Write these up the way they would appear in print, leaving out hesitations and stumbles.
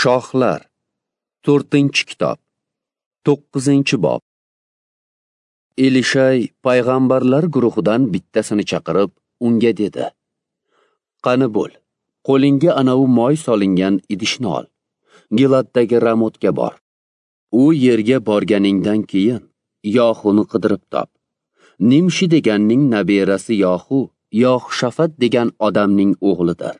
Shohlar, 4-kitob, 9-bob. Elishay payg'ambarlar guruhidan bittasini chaqirib, unga dedi: Qani bo'l, qo'lingga anavi moy solingan idishni ol. Giladdagi Ramotga bor. U yerga borganingdan keyin Yohuni qidirib top. Nimshi deganning nabirasi Yohu, Yohshafat degan odamning o'g'lidir.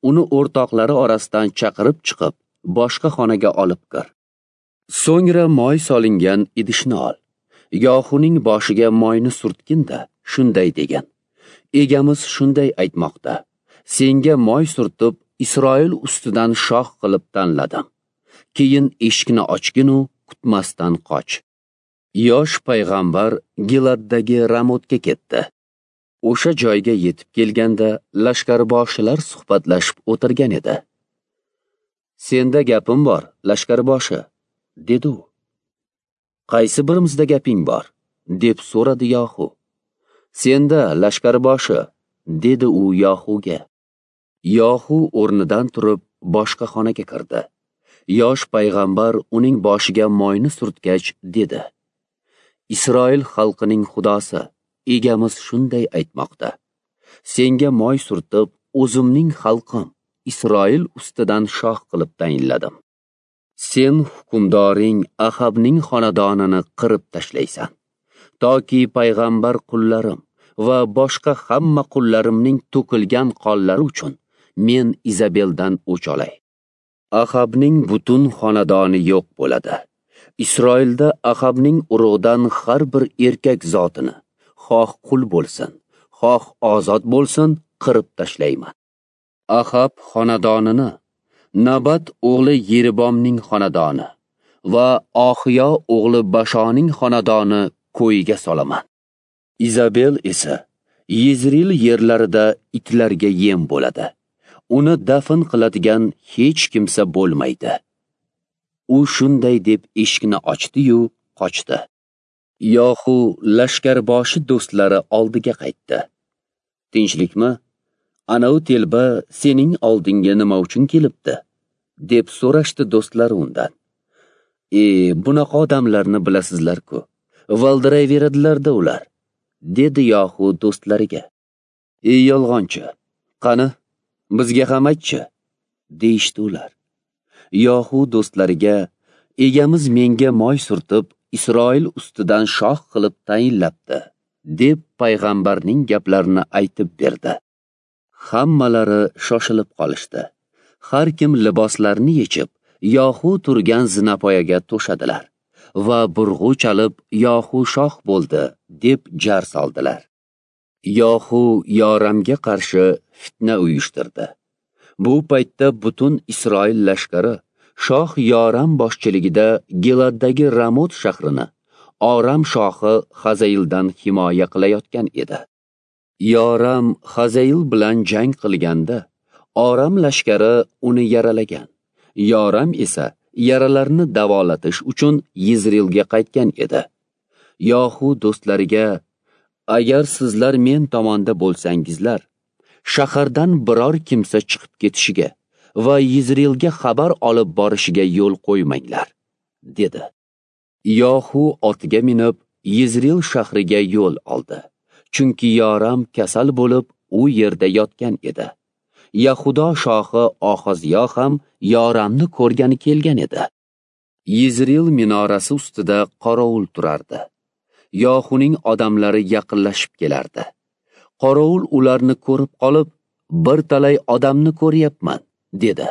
Uni o'rtoqlari orasidan chaqirib chiqib, boshqa xonaga olib kir. So'ngra moy solingan idishni ol. Yohuning boshiga moyni surtgin-da, shunday degan: Egamiz shunday aytmoqda: Senga moy surtib, Isroil ustidan shoh qilib tanladim. Keyin eshikni ochgin-u, kutmasdan qoch. Yosh payg'ambar Giladdagi Ramotga ketdi. O'sha joyga yetib kelganda lashkarboshilar suhbatlashib o'tirgan edi. Senda gapim bor, lashkarboshi, dedi u. Qaysi birimizda gaping bor? Deb so'radi Yohu. Senda, lashkarboshi, dedi u Yohuga. Yohu o'rnidan turib boshqa xonaga kirdi. Yosh payg'ambar uning boshiga moyni surtgach dedi: Isroil xalqining xudosi, egamiz shunday aytmoqda: Senga moy surtib, o'zimning xalqim Isroil ustidan shoh qilib tayinladim. Sen hukmdoring Ahabning xonadonini qirib tashlaysan, toki payg'ambar qullarim va boshqa hamma qullarimning to'kilgan qonlari uchun men Izabeldan o'ch olay. Ahabning butun xonadoni yo'q bo'ladi. Isroilda Ahabning urug'idan har bir erkak zotini, xoh qul bo'lsin, xoh ozod bo'lsin, qirib tashlayman. Ahab xonadonini Nabat o'g'li Yeribomning xonadoni va Oxiyo o'g'li Bashoning xonadoni ko'yiga solaman. Izabel esa Yezril yerlarida itlarga yem bo'ladi. Uni dafn qiladigan hech kimsa bo'lmaydi. U shunday deb eshikni ochdi-yu, qochdi. Yohu lashkarboshi do'stlari oldiga qaytdi. Tinchlikmi? Anavi telba sening oldinga nima uchun kelibdi? Deb so'rashdi do'stlari undan. Bunaqa odamlarni bilasizlar-ku. Valdirayveradilar-da ular, dedi Yohu do'stlariga. Ey yolg'onchi, qani bizga ham aytchi, deyishdi ular. Yohu do'stlariga: Egamiz menga moy surtib, Isroil ustidan shoh qilib tayinlabdi, deb payg'ambarning gaplarini aytib berdi. Hammalari shoshilib qolishdi. Har kim liboslarini yechib, Yohu turgan zinapoyaga to'shadilar va burg'u chalib, Yohu shoh bo'ldi, deb jar soldilar. Yohu Yoramga qarshi fitna uyushtirdi. Bu paytda butun Isroil lashkari shoh Yoram boshchiligida Giladdagi Ramot shahrini Oram shohi Hazaildan himoya qilayotgan edi. Yoram Hazail bilan jang qilganda Oram lashkari uni yaralagan. Yoram esa yaralarni davolatish uchun Yizrilga qaytgan edi. Yohu do'stlariga: Agar sizlar men tomonda bo'lsangizlar, shahardan biror kimsa chiqib ketishiga va Yizrilga xabar olib borishiga yo'l qo'ymanglar, dedi. Yohu otiga minib Yizril shahriga yo'l oldi. Chunki Yoram kasal bo'lib u yerda yotgan edi. Yahudo shohi Oxoziyo ham Yoramni ko'rgani kelgan edi. Yizril minorasi ustida qorovul turardi. Yohuning odamlari yaqinlashib kelardi. Qorovul ularni ko'rib qolib, bir talay odamni ko'ryapman, dedi.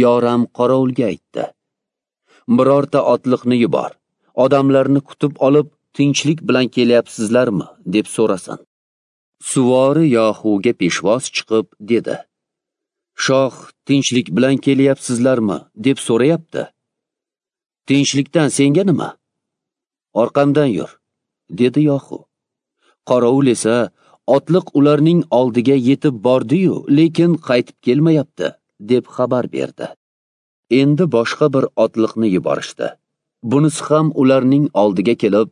Yoram qorovulga aytdi: Birorta otliqni yubor, odamlarni kutib olib, tinchlik bilan kelyapsizlarmi, deb so'rasin. Suvori Yohuga peshvoz chiqib dedi: Shoh tinchlik bilan kelyapsizlarmi, deb so'rayapti. Tinchlikdan senga nima? Orqamdan yur, dedi Yohu. Qorovul esa: Otliq ularning oldiga yetib bordi-yu, lekin qaytib kelmayapti, deb xabar berdi. Endi boshqa bir otliqni yuborishdi. Bunisi ham ularning oldiga kelib,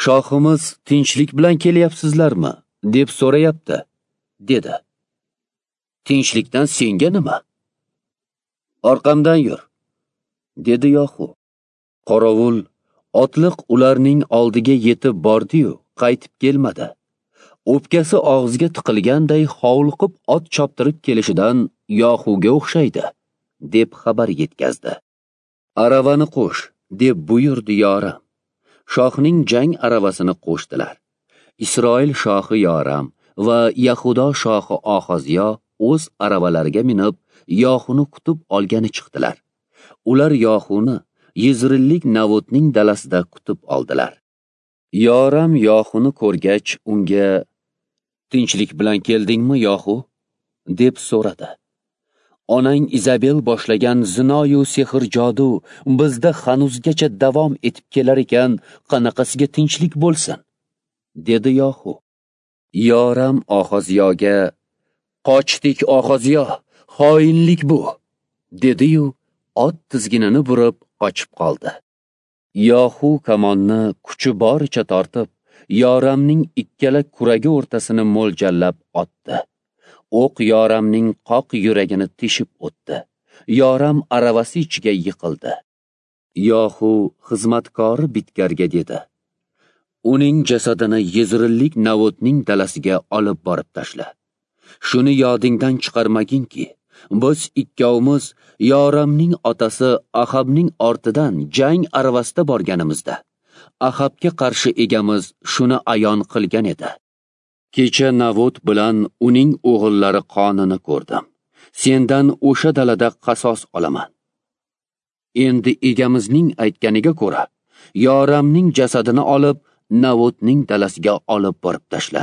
Shohimiz tinchlik bilan kelyapsizlarmi, deb so'rayapti, dedi. Tinchlikdan senga nima? Orqamdan yur, dedi Yohu. Qorovul otliq ularning oldiga yetib bordi-yu, qaytib kelmadi. O'pkasi og'ziga tiqilganday hovliqib ot choptirib kelishidan Yohuga o'xshaydi, deb xabar yetkazdi. Aravani qo'sh, deb buyurdi Yoram. Shohning jang aravasini qo'shdilar. Isroil shohi Yoram va Yahudo shohi Oxoziyo o'z aravalariga minib, Yohuni kutib olgani chiqdilar. Ular Yohuni Yizrillik Navotning dalasida kutib oldilar. Yoram Yohuni ko'rgach, unga: "Tinchlik bilan keldingmi, Yohu?" deb so'radi. Onang Izabel boshlagan zinoyu sehr-jodu bizda hanuzgacha davom etib kelar ekan, qanaqasiga tinchlik bo'lsin? Dedi Yohu. Yoram Oxoziyoga: "Qochdik, Oxoziyo, xoinlik bu", dedi-yu, ot tizginini burib qochib qoldi. Yohu kamonni kuchi boricha tortib, Yoramning ikkala kuragi o'rtasini mo'ljallab otdi. O'q Yoramning qoq yuragini teshib o'tdi. Yoram aravasi ichiga yiqildi. Yohu xizmatkori Bitkarga dedi: "Uning jasadini Yezrillik Navotning dalasiga olib borib tashla. Shuni yodingdan chiqarmaginki, biz ikkovimiz Yoramning otasi Ahabning ortidan jang aravasida borganimizda Ahabga qarshi egamiz shuni ayon qilgan edi. Kecha Navot bilan uning o'g'illari qonini ko'rdim. Sendan o'sha dalada qasos olaman. Endi egamizning aytganiga ko'ra, Yoramning jasadini olib Navotning dalasiga olib borib tashla."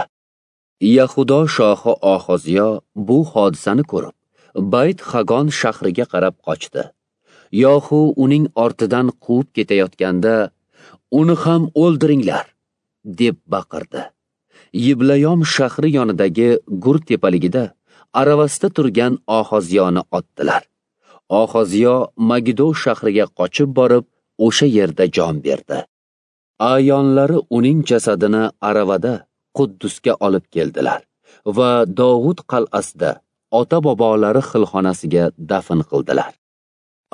Yahudo shohi Oxoziyo bu hodisani ko'rib, Bayt Hagon shahriga qarab qochdi. Yohu uning ortidan quvib ketayotganda, "Uni ham o'ldiringlar", deb baqirdi. Yiblayom shahri yonidagi gur tepaligida aravasida turgan Oxoziyoni otdilar. Oxoziyo Magido shahriga qochib borib, o'sha yerda jon berdi. Ayonlari uning jasadini aravada Quddusga olib keldilar va Dovud qal'asida ota-bobolari xilxonasiga dafn qildilar.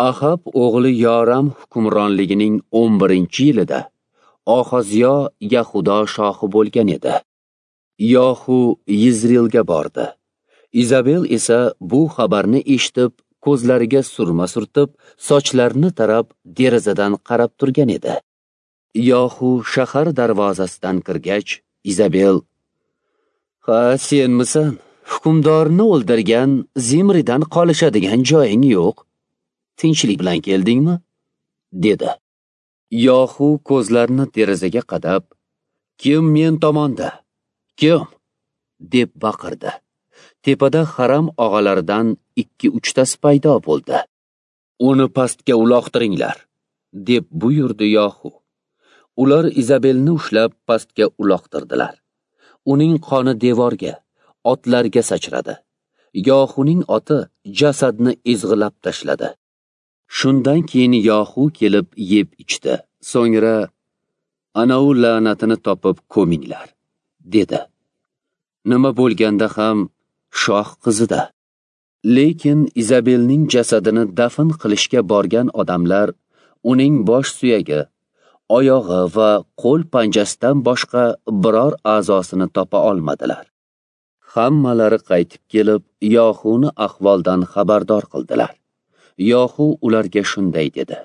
Ahab o'g'li Yoram hukmronligining 11-yilida Oxoziyo Yahudo shohi bo'lgan edi. Yohu Yizrilga bordi. Izabel esa bu xabarni eshitib, ko'zlariga surma surtib, sochlarini tarab, derazadan qarab turgan edi. Yohu shahar darvozasidan kirgach, Izabel: "Ha, senmisan? Hukmdorni o'ldirgan Zimridan qolishadigan joying yo'q. Tinchlik bilan keldingmi?" dedi. Yohu ko'zlarini derazaga qadab, "Kim men tomonda? Kim?" deb baqirdi. Tepada haram og'alaridan 2-3 tasi paydo bo'ldi. "Uni pastga uloqtiringlar", deb buyurdi Yohu. Ular Izabelni ushlab pastga uloqtirdilar. Uning qoni devorga, otlarga sachradi. Yohuning oti jasadni ezg'ilab tashladi. Shundan keyin Yohu kelib yeb ichdi. So'ngra: "Ana u la'natini topib ko'minglar", dedi. Nima bo'lganda ham shoh qizida. Lekin Izabelning jasadini dafn qilishga borgan odamlar uning bosh suyagi, oyog'i va qo'l panjasidan boshqa biror a'zosini topa olmadilar. Hammalari qaytib kelib, Yohuni ahvoldan xabardor qildilar. Yohu ularga shunday dedi: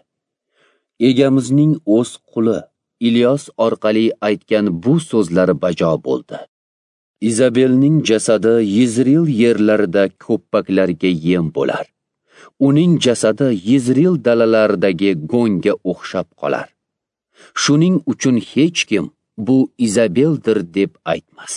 "Egamizning o'z quli Ilyos orqali aytgan bu so'zlari bajo bo'ldi. Izabelning jasadi Yizril yerlarida ko'ppaklarga yem bo'lar. Uning jasadi Yizril dalalaridagi go'ngga o'xshab qolar. Shuning uchun hech kim bu Izabeldir deb aytmas."